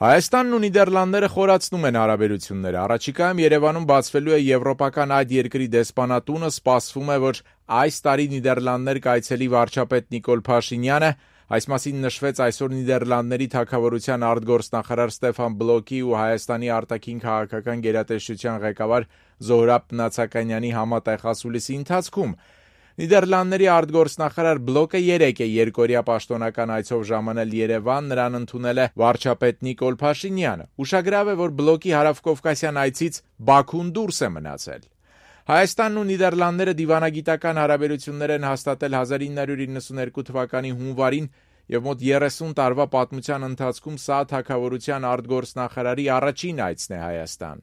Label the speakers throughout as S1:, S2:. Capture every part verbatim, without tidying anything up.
S1: Հայաստանն ու Նիդերլանդները խորացնում են հարաբերությունները։ Առաջիկայում Երևանում բացվելու է եվրոպական այդ երկրի դեսպանատունը, սպասվում է, որ այս տարի Նիդերլանդներ կայցելի վարչապետ Նիկոլ Փաշինյանը, այս մասին նշվեց այսօր Նիդերլանդների թագավորության արտգործնախարար Ստեֆան Բլոկի ու Հայաստանի արտաքին քաղաքական գերատեսչության ղեկավար Զոհրաբ Նացականյանի համատեղ ասուլիսի ընթացքում։ Նիդերլանդների արտգործնախարար Բլոկը երեկ է երկօրյա պաշտոնական այցով ժամանել Երևան, նրան ընդունել է վարչապետ Նիկոլ Փաշինյանը։ Ուշագրավ է, որ Բլոկի հարավկովկասյան այցից Բաքուն դուրս է մնացել։ Հայաստանն ու Նիդերլանդները դիվանագիտական հարաբերություններ են հաստատել հազար ինը հարյուր իննսունհինգ թվականի հունվարին եւ մոտ երեսուն տարվա պատմության ընթացքում սա թագավորության արտգործնախարարի առաջին այցն է Հայաստան։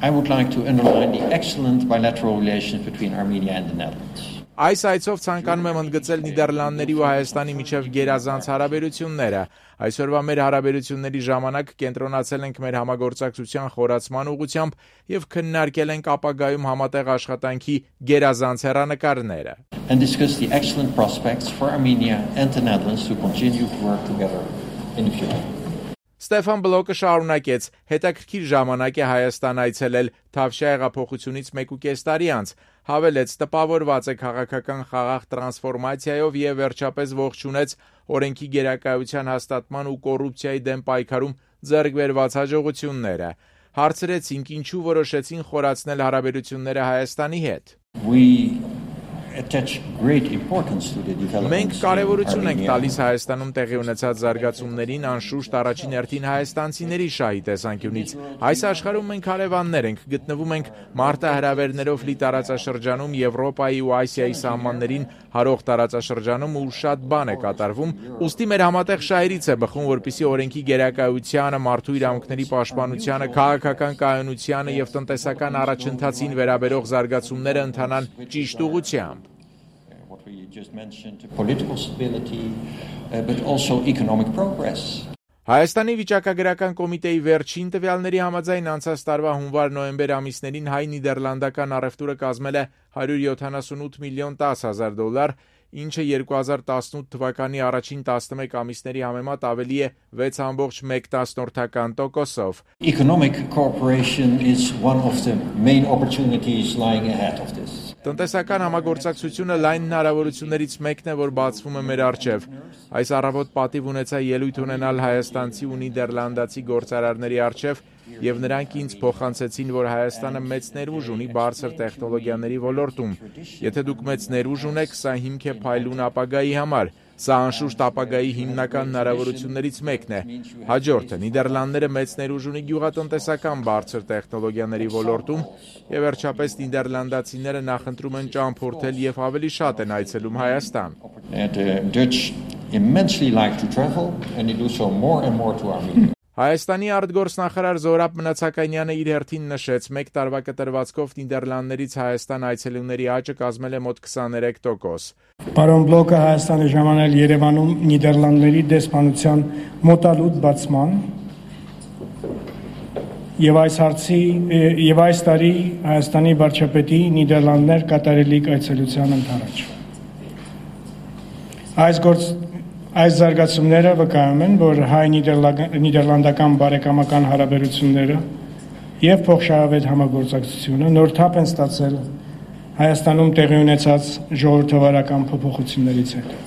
S2: I would like to underline the excellent bilateral relations between Armenia and the Netherlands.
S1: Այս այցով ցանկանում եմ ընդգծել Նիդերլանդների ու Հայաստանի միջև գերազանց հարաբերությունները։ Այսօրվա մեր հարաբերությունների ժամանակ կենտրոնացել ենք մեր համագործակցության խորացման ուղղությամբ եւ քննարկել ենք ապագայում համատեղ աշխատանքի գերազանց հեռանկարները։
S2: And discuss the excellent prospects for Armenia and the Netherlands to continue to work together in the future.
S1: Ստեֆան Բլոկը շարունակեց. հետաքրքիր ժամանակ է Հայաստան այցելել Թավշյա հեղափոխությունից մեկուկես տարի անց, հավելեց, տպավորված է քաղաքական խաղաղ տրանսֆորմացիայով եւ վերջապես ողջունեց օրենքի գերակայության հաստատման ու կոռուպցիայի դեմ պայքարում ձեռք բերված հաջողությունները։ Հարցրեցինք, ինչու որոշեցին խորացնել հարաբերությունները Հայաստանի հետ։ Մենք կարևորություն ենք տալիս Հայաստանում տեղի ունեցած զարգացումներին, անշուշտ առաջին հերթին հայաստանցիների շահի տեսանկյունից։ Այս աշխարհում մենք հարևաններ ենք, գտնվում ենք մարտահրավերներով լի տարածաշրջանում, Եվրոպայի ու Ասիայի սահմաններին հարող տարածաշրջանում ու շատ բան է կատարվում, ուստի մեր համատեղ շահերից է բխում, որպեսզի օրենքի գերակայությանը, մարդու իրավունքների պաշտպանությանը, քաղաքական կայունությանը եւ տնտեսական առաջընթացին վերաբերող զարգացումները ընթանան ճիշտ ուղղությամբ։
S2: We just mentioned political stability, uh, but also economic progress.
S1: Հայաստանի վիճակագրական կոմիտեի վերջին տվյալների համաձայն անցած տարվա հունվար-նոյեմբեր ամիսներին հայ-նիդերլանդական առևտուրը կազմել է հարյուր յոթանասունութ միլիոն տասը հազար դոլար, ինչը երկու հազար տասնութ թվականի առաջին տասնմեկ ամիսների համեմատ ավելի է վեց ամբողջ մեկ տասնորդական տոկոսով։
S2: Economic cooperation is one of the main opportunities lying ahead of this.
S1: Տնտեսական համագործակցությունը լայն հնարավորություններից մեկն է, որ բացվում է մեր առջև։ Այս առավոտ պատիվ ունեցա ելույթ ունենալ հայաստանցի ու նիդերլանդացի գործարարների առջև եւ նրանք ինձ փոխանցեցին, որ Հայաստանը մեծ ներուժ ունի բարձր տեխնոլոգիաների ոլորտում։ Եթե դուք մեծ ներուժ ունեք, սա հիմք է փայլուն ապագայի համար։ Սա անշուշտ ապագայի հիմնական հնարավորություններից մեկն է։ Հաջորդը Նիդերլանդները մեծ ներուժ ունի գյուղատնտեսական բարձր տեխնոլոգիաների ոլորտում եւ վերջապես նիդերլանդացիները նախընտրում են ճամփորդել եւ ավելի շատ են այցելում Հայաստան։
S2: The Dutch immensely like to travel and they do so more and more to Armenia.
S1: Հայաստանի արտգործնախարար Զոհրաբ Նացականյանը իր հերթին նշեց, մեկ տարվա կտրվածքով Նիդերլանդներից Հայաստան այցելուների աճը կազմել է մոտ քսաներեք տոկոս։
S3: Պարոն Բլոկը Հայաստանի ժամանել Երևանում Նիդերլանդների դեսպանության մոտալուտ բացման եւ այս հարցի եւ այս տարի Հայաստանի վարչապետի Նիդերլանդներ կատարելիք այցելության ընթരാճ։ Այս գործ Այս զարգացումները վկայում են, որ հայ-նիդերլանդական բարեկամական հարաբերությունները եւ փոխշահավետ համագործակցությունը նոր թափ են ստացել Հայաստանում տեղի ունեցած ժողովրդավարական փոփոխություններից հետո։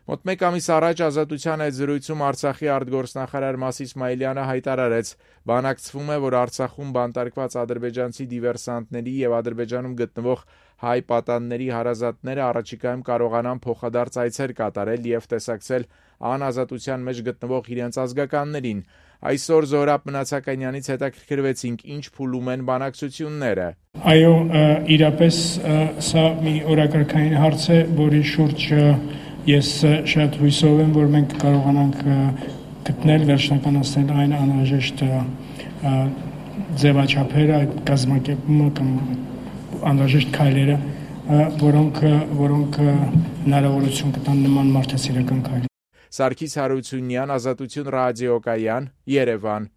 S1: Մոտ մեկ ամիս առաջ Ազատության այդ զրույցում Արցախի արտգործնախարար Մաս Իսմայելյանը հայտարարեց, բանակցվում է, որ Արցախում բանտարկված ադրբեջանցի դիվերսանտների եւ Ադրբեջանում գտնվող հայ պատանների հարազատները առաջիկայում կարողանան փոխադարձ այցեր կատարել եւ տեսակցել անազատության մեջ գտնվող իրենց ազգականներին։ Այսօր Զոհրաբ Նացականյանից հետաքրքրվեցինք, ինչ փուլում են բանակցությունները։
S3: Այո, իրապես սա մի օրակարգային հարց է, որի շուրջ ես շատ հույսով եմ, որ մենք կարողանանք գտնել վերջնականացնել այն անհրաժեշտ ձևաչափերը, այդ կազմակերպումը կամ անհրաժեշտ քայլերը, որոնք որոնք հնարավորություն կտան նման մարդասիրական քայլերի։
S1: Սարգիս Հարությունյան, Ազատություն ռադիոկայան, Երևան։